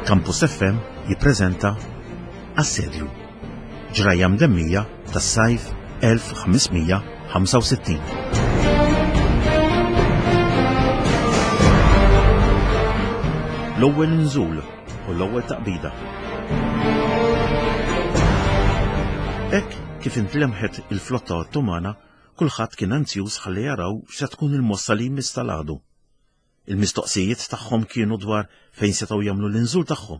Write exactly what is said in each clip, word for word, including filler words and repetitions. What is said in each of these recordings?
Campus F M jippreżenta Assedju, ġrajja mdemmija tas-sajf elf ħames mija ħamsa u sittin. L-ewwel inżul u l-ewwel taqbida. Hekk kif intlemħet il-flotta Ottomana, kulħadd kien anzjuż ħalli jaraw x'se tkun il-mossa li jmiss tal-għadu. Il-mistoqsijiet tagħhom kienu dwar fejn setgħu jagħmlu l-inżul tagħhom.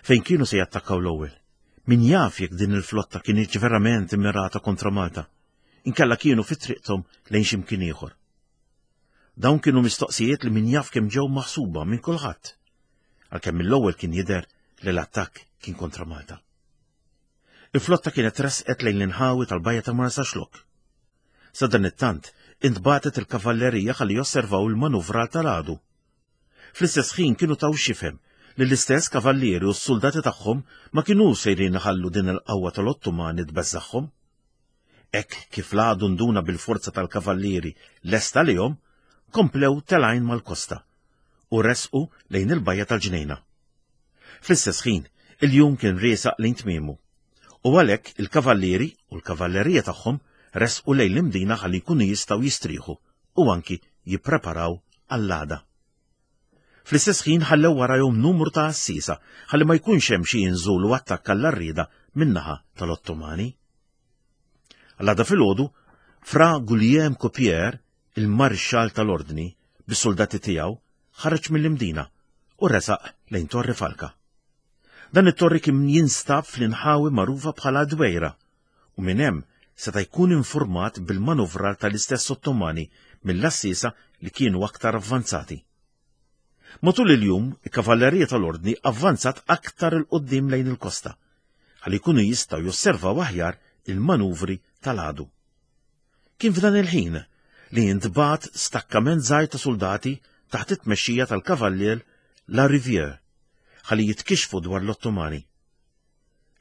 Fejn kienu se jattakkaw l-ewwel. Min jaf jekk din il-flotta kienx verament immirata kontra Malta, inkella kienu fi triqthom lejn xi mkien ieħor. Dawn kienu mistoqsijiet li min jaf kemm ġew maħsuba minn kulħadd, għalkemm mill-ewwel kien jidher li l-attakk kien kontra Malta. Il-flotta kienet resqet lejn l-inħawi tal-bajja ta' Marsaxlokk. Sa dan it-tant, intbatet il-kavallerija ħalli josservaw il-manuvra tal-għadu. Fl-istess ħin kienu taw xifhem li l-istess kavallieri u s-soldati tagħhom ma kienu sejrin iħallu din il-qawwa tal-Ottomani tbeżżagħhom. Hekk kif l-għadu nduna bil-forza tal-kavallieri lesta lihom, komplew telgħin mal-kosta u resqu lejn il-bajja tal-Ġnejna. Fl-istess ħin, il-jum kien riesaq lejn tmiemu, u għalhekk il-kavallieri u l-kavallerija tagħhom resqu lejn l-Imdina ħalli jkunu jistgħu jistrieħu u anki jippreparaw għall-għada. Fl-istess ħin ħallew warajhom numru ta' għassiesa ħalli ma jkunx hemm xi inżul u attakk għall-arrieda min-naħa tal-Ottomani. Għall-għada filgħodu, Fra Guillaume Coupier, il-marxal tal-Ordni, bis-soldati tiegħu, ħareġ mill-Imdina u resaq lejn Torri Falka. Dan it-torri kien jinstab fl-inħawi magħrufa bħala Dwejra u minn hemm seta' jkun informat bil-manuvrar tal-istess Ottomani mill-assisa li kienu aktar avvanzati. Matul il-jum, il-kavallerija tal-Ordni avvanzat aktar il-qoddim lejn il-kosta, ħalli jkunu jistgħu josservaw aħjar il-manuvri tal-għadu. Kien f'dan il-ħin li jintbagħat stakkament żgħir ta' soldati taħt it-tmexxija tal-kavallier La Rivière, ħalli jitkixfu dwar l-Ottomani.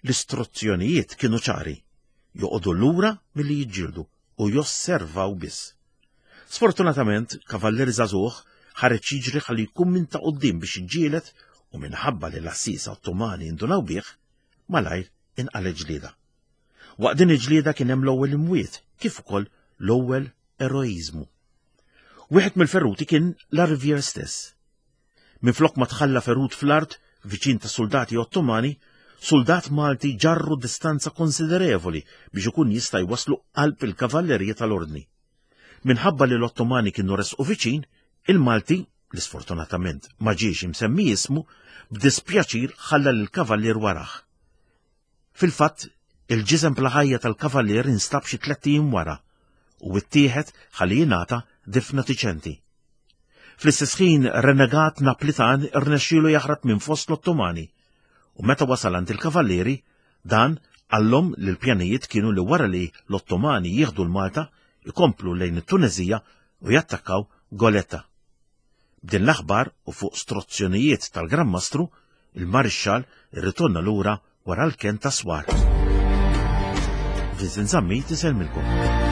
L-istruzzjonijiet kienu ċari, joqogħdu lura milli jiġġieldu u josservaw biss. Sfortunatament, kavallier żagħżugħ ħareġ jiġri ħalli jkun minn ta' quddiem biex jiġġieled u minħabba li l-assisa Ottomani indunaw bih, malajr inqalgħet ġlieda. Waqt din il-ġlieda kien hemm l-ewwel imwiet kif ukoll l-ewwel eroiżmu. Wieħed mill-ferruti kien La Rivière stess. Minflok ma tħalla ferut fl-art viċin ta' soldati Ottomani, soldat Malti ġarru distanza konsiderevoli biex ikun jista' jwaslu qalb il-kavallerija tal-Ordni. Minħabba li l-Ottomani kienu resqu viċin, il-Malti, li sfortunatament ma ġiex imsemmi ismu, b'dispjaċir ħalla lill-kavallier warah. Fil-fatt, il-ġisem bla ħajja tal-kavallier instab xi tlett ijiem wara u ttieħed ħalli jingħata difna diċenti. Fl-istess ħin renegat Naplitan irnexxielu jaħrab minn fost l-Ottomani u meta wasal għand il-kavallieri, dan qallhom li l-pjanijiet kienu li wara li l-Ottomani jieħdu l-Malta ikomplu lejn it-Tunezija u jattakkaw Goletta. B'din l-aħbar u fuq struzzjonijiet tal-Gran Mastru, il-Marixxal irritorna lura wara l-ken ta' swar. Vincent Zammit isellmilkom.